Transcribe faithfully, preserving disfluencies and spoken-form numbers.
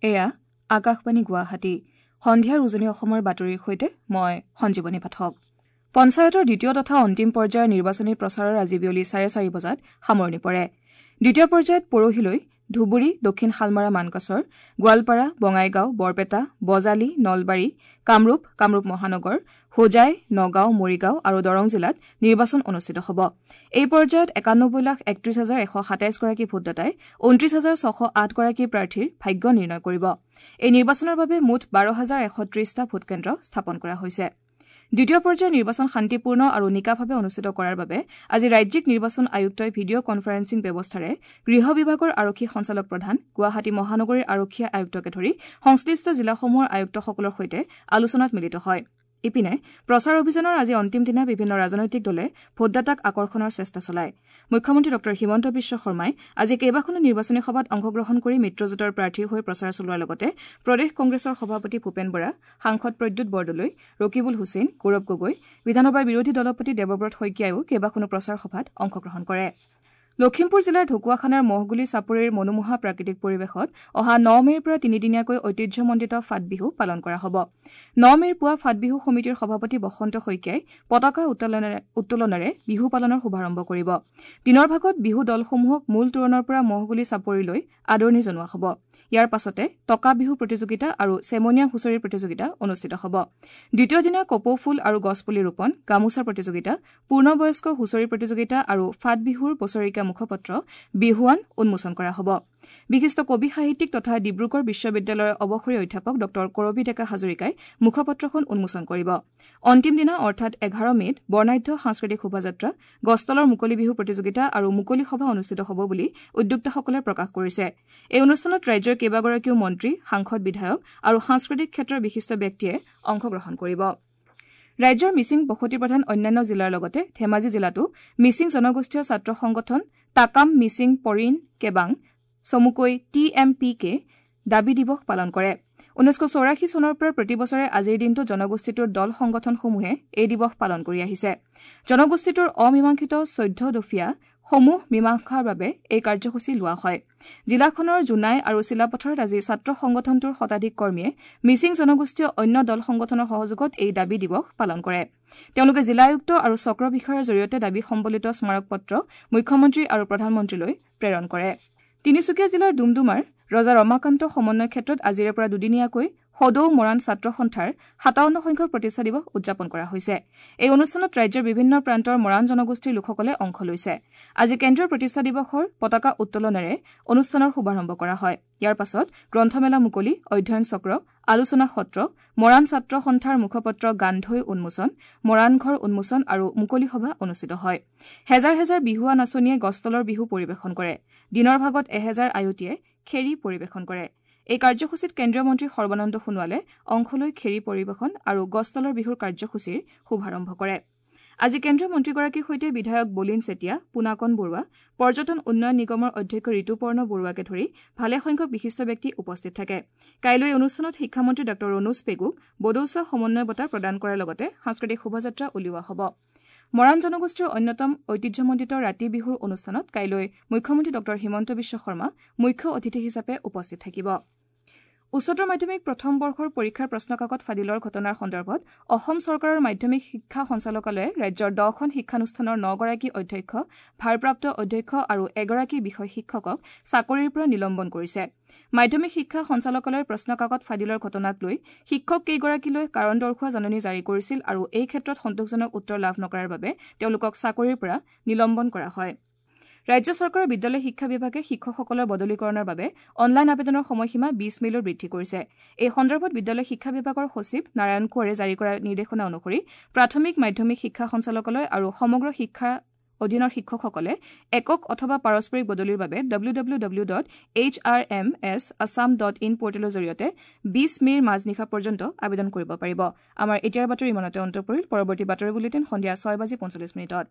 এয়া আকাশবাণী গুৱাহাটী। সন্ধিয়াৰ উজনি অসমৰ বাতৰিৰ সৈতে মই সঞ্জীৱনী পাঠক। পঞ্চায়তৰ দ্বিতীয় তথা অন্তিম পৰ্যায়ৰ নিৰ্বাচনী প্ৰচাৰৰ আজি বিয়লি চাৰে চাৰি বজাত সামৰণি পৰে। দ্বিতীয় পৰ্যায়ত পৰহিলৈ ধুবুৰী, দক্ষিণ শালমাৰা মানকাচৰ, গোৱালপাৰা, বঙাইগাঁও, বৰপেটা, বজালী, নলবাৰী, কামৰূপ, কামৰূপ মহানগৰ, হোজাই, নগাঁও, মৰিগাঁও আৰু দৰং জিলাত নিৰ্বাচন অনুষ্ঠিত হ'ব। এই পৰ্যায়ত একানব্বৈ লাখ একত্ৰিশ হাজাৰ এশ সাতাইছগৰাকী ভোটদাতাই ঊনত্ৰিশ হাজাৰ ছশ আঠগৰাকী প্ৰাৰ্থীৰ ভাগ্য নিৰ্ণয় কৰিব। এই নিৰ্বাচনৰ বাবে মুঠ বাৰ হাজাৰ এশ ত্ৰিশটা ভোটকেন্দ্ৰ স্থাপন কৰা হৈছে। দ্বিতীয় পৰ্যায়ৰ নিৰ্বাচন শান্তিপূৰ্ণ আৰু নিকাভাৱে অনুষ্ঠিত কৰাৰ বাবে আজি ৰাজ্যিক নিৰ্বাচন আয়ুক্তই ভিডিঅ' কনফাৰেন্সিং ব্যৱস্থাৰে গৃহ বিভাগৰ আৰক্ষী সঞ্চালক প্ৰধান, গুৱাহাটী মহানগৰীৰ আৰক্ষী আয়ুক্তকে ধৰি সংশ্লিষ্ট জিলাসমূহৰ আয়ুক্তসকলৰ সৈতে আলোচনাত মিলিত হয়। ইপিনে প্ৰচাৰ অভিযানৰ আজি অন্তিম দিনা বিভিন্ন ৰাজনৈতিক দলে ভোটদাতাক আকৰ্ষণৰ চেষ্টা চলায়। মুখ্যমন্ত্ৰী ডঃ হিমন্ত বিশ্ব শৰ্মাই আজি কেইবাখনো নিৰ্বাচনী সভাত অংশগ্ৰহণ কৰি মিত্ৰজোঁটৰ প্ৰাৰ্থীৰ হৈ প্ৰচাৰ চলোৱাৰ লগতে প্ৰদেশ কংগ্ৰেছৰ সভাপতি ভূপেন বৰা, সাংসদ প্ৰদ্যুৎ বৰদলৈ, ৰকিবুল হুছেইন, গৌৰৱ গগৈ, বিধানসভাৰ বিৰোধী দলপতি দেৱব্ৰত শইকীয়াইও কেইবাখনো প্ৰচাৰ সভাত অংশগ্ৰহণ কৰে। লখিমপুৰ জিলাৰ ঢকুৱাখানাৰ মহগুলি চাপৰিৰ মনোমোহা প্ৰাকৃতিক পৰিৱেশত অহা ন মে'ৰ পৰা তিনিদিনীয়াকৈ ঐতিহ্যমণ্ডিত ফাটবিহু পালন কৰা হ'ব। ন মে'ৰ পুৱা ফাটবিহু সমিতিৰ সভাপতি বসন্ত শইকীয়াই পতাকা উত্তোলনেৰে বিহু পালনৰ শুভাৰম্ভ কৰিব। দিনৰ ভাগত বিহু দলসমূহক মূল তোৰণৰ পৰা মহগুলি চাপৰিলৈ আদৰণি জনোৱা হ'ব। ইয়াৰ পাছতে টকা বিহু প্ৰতিযোগিতা আৰু চেমনীয়া হুঁচৰি প্ৰতিযোগিতা অনুষ্ঠিত হ'ব। দ্বিতীয় দিনা কপৌফুল আৰু গছপুলি ৰোপণ, গামোচা প্ৰতিযোগিতা, পূৰ্ণবয়স্ক হুঁচৰি প্ৰতিযোগিতা আৰু ফাটবিহুৰ বছৰেকীয়া মুখপত্ৰ বিহুৱান উন্মোচন কৰা হ'ব। বিশিষ্ট কবি সাহিত্যিক তথা ডিব্ৰুগড় বিশ্ববিদ্যালয়ৰ অৱসৰী অধ্যাপক ডঃ কৰবী ডেকা হাজৰিকাই মুখপত্ৰখন উন্মোচন কৰিব। অন্তিম দিনা অৰ্থাৎ এঘাৰ মে'ত বৰ্ণাঢ্য সাংস্কৃতিক শোভাযাত্ৰা, গছতলৰ মুকলি বিহু প্ৰতিযোগিতা আৰু মুকলি সভা অনুষ্ঠিত হ'ব বুলি উদ্যোক্তাসকলে প্ৰকাশ কৰিছে। এই অনুষ্ঠানত ৰাজ্যৰ কেইবাগৰাকীও মন্ত্ৰী, সাংসদ, বিধায়ক আৰু সাংস্কৃতিক ক্ষেত্ৰৰ বিশিষ্ট ব্যক্তিয়ে অংশগ্ৰহণ কৰিব। ৰাজ্যৰ মিচিং বসতিপ্ৰধান অন্যান্য জিলাৰ লগতে ধেমাজি জিলাতো মিচিং জনগোষ্ঠীয় ছাত্ৰ সংগঠন টাকাম মিচিং পৰিণ কেবাং চমুকৈ টি এম পি কে দাবী দিৱস পালন কৰে। ঊনৈছশ চৌৰাশী চনৰ পৰা প্ৰতি বছৰে আজিৰ দিনটো জনগোষ্ঠীটোৰ দল সংগঠনসমূহে এই দিৱস পালন কৰি আহিছে। জনগোষ্ঠীটোৰ অমীমাংসিত চৈধ্য দফীয়া সমূহ মীমাংসাৰ বাবে এই কাৰ্যসূচী লোৱা হয়। জিলাখনৰ জোনাই আৰু চিলাপথাৰত আজি ছাত্ৰ সংগঠনটোৰ শতাধিক কৰ্মীয়ে মিচিং জনগোষ্ঠীয় অন্য দল সংগঠনৰ সহযোগত এই দাবী দিৱস পালন কৰে। তেওঁলোকে জিলা আয়ুক্ত আৰু চক্ৰ বিষয়াৰ জৰিয়তে দাবী সম্বলিত স্মাৰকপত্ৰ মুখ্যমন্ত্ৰী আৰু প্ৰধানমন্ত্ৰীলৈ প্ৰেৰণ কৰে। তিনিচুকীয়া জিলাৰ ডুমডুমাৰ ৰজা ৰমাকান্ত সমন্বয় ক্ষেত্ৰত আজিৰে পৰা দুদিনীয়াকৈ সদৌ মৰাণ ছাত্ৰ সন্থাৰ সাতাৱন্ন সংখ্যক প্ৰতিষ্ঠা দিৱস উদযাপন কৰা হৈছে। এই অনুষ্ঠানত ৰাজ্যৰ বিভিন্ন প্ৰান্তৰ মৰাণ জনগোষ্ঠীৰ লোকসকলে অংশ লৈছে। আজি কেন্দ্ৰীয় প্ৰতিষ্ঠা দিৱসৰ পতাকা উত্তোলনেৰে অনুষ্ঠানৰ শুভাৰম্ভ কৰা হয়। ইয়াৰ পাছত গ্ৰন্থমেলা মুকলি, অধ্যয়ন চক্ৰ, আলোচনা সত্ৰ, মৰাণ ছাত্ৰ সন্থাৰ মুখপত্ৰ গান্ধৈ উন্মোচন, মৰাণ ঘৰ উন্মোচন আৰু মুকলি সভা অনুষ্ঠিত হয়। হেজাৰ হেজাৰ বিহুৱা নাচনীয়ে গছতলৰ বিহু পৰিৱেশন কৰে। দিনৰ ভাগত এহেজাৰ আয়তীয়ে খেৰী পৰিৱেশন কৰে। এই কাৰ্যসূচীত কেন্দ্ৰীয় মন্ত্ৰী সৰ্বানন্দ সোণোৱালে অংশ লৈ খেৰী পৰিৱেশন আৰু গছতলৰ বিহুৰ কাৰ্যসূচীৰ শুভাৰম্ভ কৰে। আজি কেন্দ্ৰীয় মন্ত্ৰীগৰাকীৰ সৈতে বিধায়ক বলিন চেতিয়া, পোনাকণ বৰুৱা, পৰ্যটন উন্নয়ন নিগমৰ অধ্যক্ষ ঋতুপৰ্ণ বৰুৱাকে ধৰি ভালেসংখ্যক বিশিষ্ট ব্যক্তি উপস্থিত থাকে। কাইলৈ অনুষ্ঠানত শিক্ষামন্ত্ৰী ডঃ ৰণোজ পেগুক বদৌচা সমন্বয় বঁটা প্ৰদান কৰাৰ লগতে সাংস্কৃতিক শোভাযাত্ৰা উলিওৱা হ'ব। মৰাণ জনগোষ্ঠীৰ অন্যতম ঐতিহ্যমণ্ডিত ৰাতি বিহুৰ অনুষ্ঠানত কাইলৈ মুখ্যমন্ত্ৰী ডঃ হিমন্ত বিশ্ব শৰ্মা মুখ্য অতিথি হিচাপে উপস্থিত থাকিব। উচ্চতৰ মাধ্যমিক প্ৰথম বৰ্ষৰ পৰীক্ষাৰ প্ৰশ্নকাকত ফাদিলৰ ঘটনাৰ সন্দৰ্ভত অসম চৰকাৰৰ মাধ্যমিক শিক্ষা সঞ্চালকালয়ে ৰাজ্যৰ দহখন শিক্ষানুষ্ঠানৰ নগৰাকী অধ্যক্ষ, ভাৰপ্ৰাপ্ত অধ্যক্ষ আৰু এগৰাকী বিষয় শিক্ষকক চাকৰিৰ পৰা নিলম্বন কৰিছে। মাধ্যমিক শিক্ষা সঞ্চালকালয়ে প্ৰশ্নকাকত ফাদিলৰ ঘটনাক লৈ শিক্ষক কেইগৰাকীলৈ কাৰণ দৰ্শোৱা জাননী জাৰি কৰিছিল আৰু এই ক্ষেত্ৰত সন্তোষজনক উত্তৰ লাভ নকৰাৰ বাবে তেওঁলোকক চাকৰিৰ পৰা নিলম্বন কৰা হয়। ৰাজ্য চৰকাৰৰ বিদ্যালয় শিক্ষা বিভাগে শিক্ষকসকলৰ বদলিকৰণৰ বাবে অনলাইন আবেদনৰ সময়সীমা বিশ মে'লৈ বৃদ্ধি কৰিছে। এই সন্দৰ্ভত বিদ্যালয় শিক্ষা বিভাগৰ সচিব নাৰায়ণ কোঁৱৰে জাৰি কৰা নিৰ্দেশনা অনুসৰি প্ৰাথমিক, মাধ্যমিক শিক্ষা সঞ্চালকালয় আৰু সমগ্ৰ শিক্ষা অধীনৰ শিক্ষকসকলে একক অথবা পাৰস্পৰিক বদলিৰ বাবে W W W dot H R M S Assam dot in পৰ্টেলৰ জৰিয়তে বিশ মে'ৰ মাজনিশা পৰ্যন্ত আবেদন কৰিব পাৰিব। আমাৰ এতিয়াৰ বাতৰি ইমানতে অন্ত পৰিল। পৰৱৰ্তী বাতৰি বুলেটিন সন্ধিয়া ছয় বাজি পঞ্চল্লিছ মিনিটত।